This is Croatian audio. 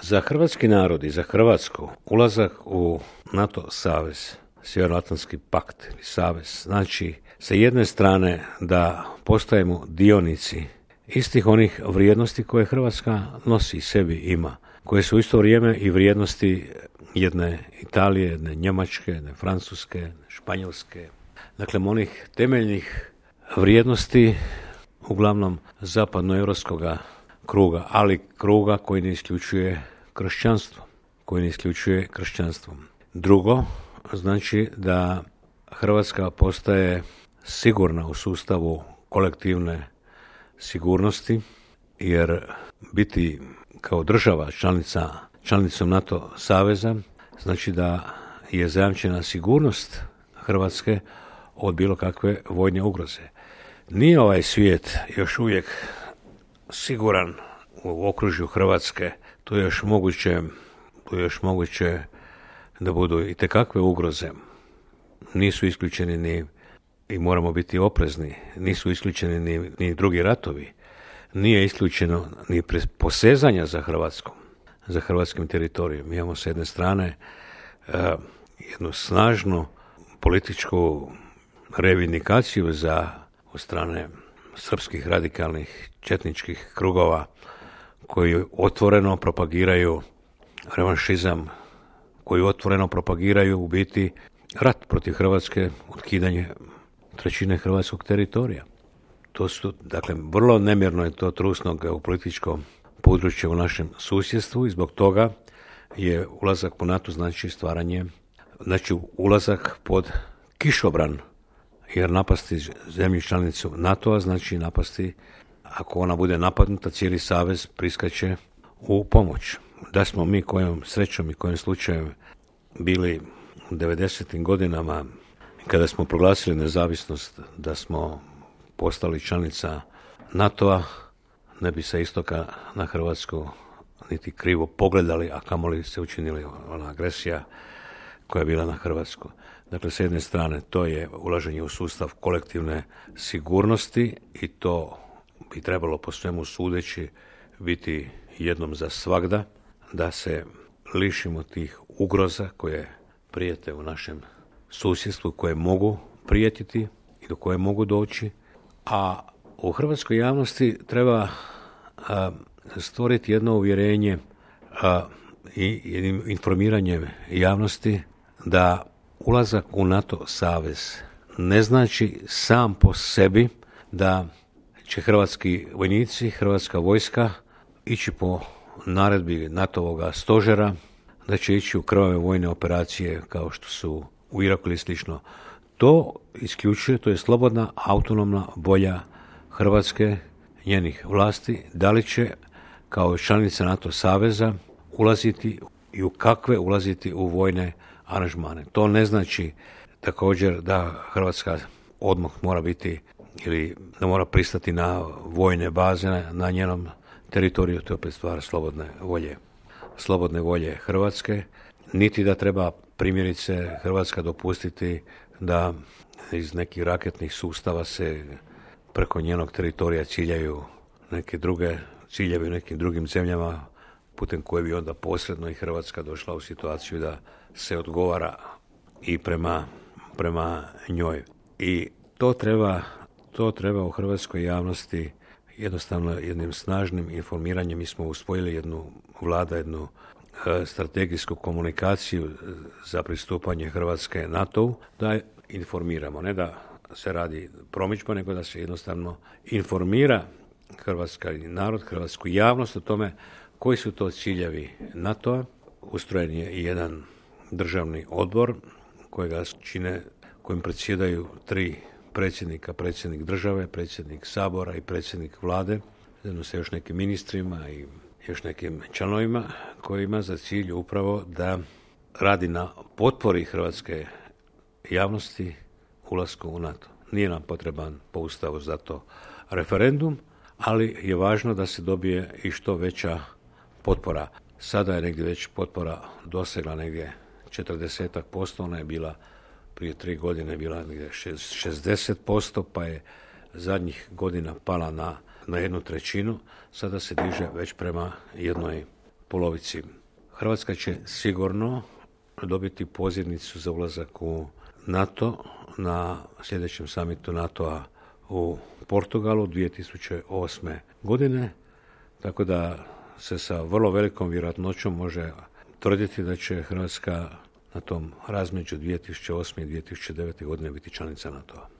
Za hrvatski narod i za Hrvatsku ulazak u NATO savez, Sjevernoatlantski pakt ili savez, znači sa jedne strane da postajemo dionici istih onih vrijednosti koje Hrvatska nosi, sebi ima, koje su u isto vrijeme i vrijednosti jedne Italije, jedne Njemačke, jedne Francuske, jedne Španjolske. Dakle, onih temeljnih vrijednosti uglavnom zapadnoevropskoga kruga, ali kruga koji ne isključuje kršćanstvo. Drugo, znači da Hrvatska postaje sigurna u sustavu kolektivne sigurnosti, jer biti kao država članicom NATO saveza znači da je zajamčena sigurnost Hrvatske od bilo kakve vojne ugroze. Nije ovaj svijet još uvijek siguran u okružju Hrvatske, tu je još moguće da budu i tekakve ugroze. Nisu isključeni ni, i moramo biti oprezni, nisu isključeni ni drugi ratovi. Nije isključeno ni posezanja za hrvatskim teritorijom. Mi imamo s jedne strane jednu snažnu političku reivindikaciju od strane srpskih radikalnih četničkih krugova koji otvoreno propagiraju revanšizam, koji otvoreno propagiraju u biti rat protiv Hrvatske, otkidanje trećine hrvatskog teritorija. To su, dakle, vrlo nemjerno je to trusno geopolitičko područje u našem susjedstvu i zbog toga je ulazak u NATO znači ulazak pod kišobran, jer napasti zemlju članicu NATO-a znači napasti, ako ona bude napadnuta, cijeli savez priskače u pomoć. Da smo mi kojom srećom i kojim slučajem bili u 90. godinama, kada smo proglasili nezavisnost, da smo postali članica NATO-a, ne bi sa istoka na Hrvatsku niti krivo pogledali, a kamoli se učinili ona agresija koja je bila na Hrvatsku. Dakle, s jedne strane to je ulaženje u sustav kolektivne sigurnosti i to bi trebalo po svemu sudeći biti jednom za svagda, da se lišimo tih ugroza koje prijete u našem susjedstvu, koje mogu prijetiti i do koje mogu doći, a u hrvatskoj javnosti treba stvoriti jedno uvjerenje i jednim informiranjem javnosti da ulazak u NATO savez ne znači sam po sebi da će hrvatski vojnici, hrvatska vojska ići po naredbi NATO-voga stožera, da će ići u krvave vojne operacije kao što su u Iraku ili slično. To isključuje, to je slobodna, autonomna volja Hrvatske, njenih vlasti, da li će kao članica NATO saveza ulaziti i u kakve ulaziti u vojne aranžmane. To ne znači također da Hrvatska odmah mora biti ili da mora pristati na vojne baze na njenom teritoriju, to je opet stvar slobodne volje Hrvatske, niti da treba primjerice Hrvatska dopustiti da iz nekih raketnih sustava se preko njenog teritorija ciljaju neke druge ciljevi u nekim drugim zemljama, putem koje bi onda posredno i Hrvatska došla u situaciju da se odgovara i prema njoj. I to treba u hrvatskoj javnosti jednostavno jednim snažnim informiranjem. Mi smo usvojili jednu strategijsku komunikaciju za pristupanje Hrvatske NATO-u, da informiramo, ne da se radi promidžba, nego da se jednostavno informira hrvatski narod, hrvatsku javnost o tome koji su to ciljevi NATO-a. Ustrojen je i jedan državni odbor kojim predsjedaju 3 predsjednika, predsjednik države, predsjednik Sabora i predsjednik vlade, zajedno sa još nekim ministrima i još nekim članovima, koji ima za cilj upravo da radi na potpori hrvatske javnosti ulasku u NATO. Nije nam potreban po Ustavu za to referendum, ali je važno da se dobije i što veća potpora. Sada je negdje već potpora dosegla negdje 40%, ona je bila prije 3 godine bila negdje 60%, pa je zadnjih godina pala na 1/3, sada se diže već prema 1/5. polovici. Hrvatska će sigurno dobiti pozivnicu za ulazak u NATO na sljedećem samitu NATO-a u Portugalu 2008. godine, tako da se sa vrlo velikom vjerojatnoćom može tvrditi da će Hrvatska na tom razmeđu 2008. i 2009. godine biti članica NATO-a.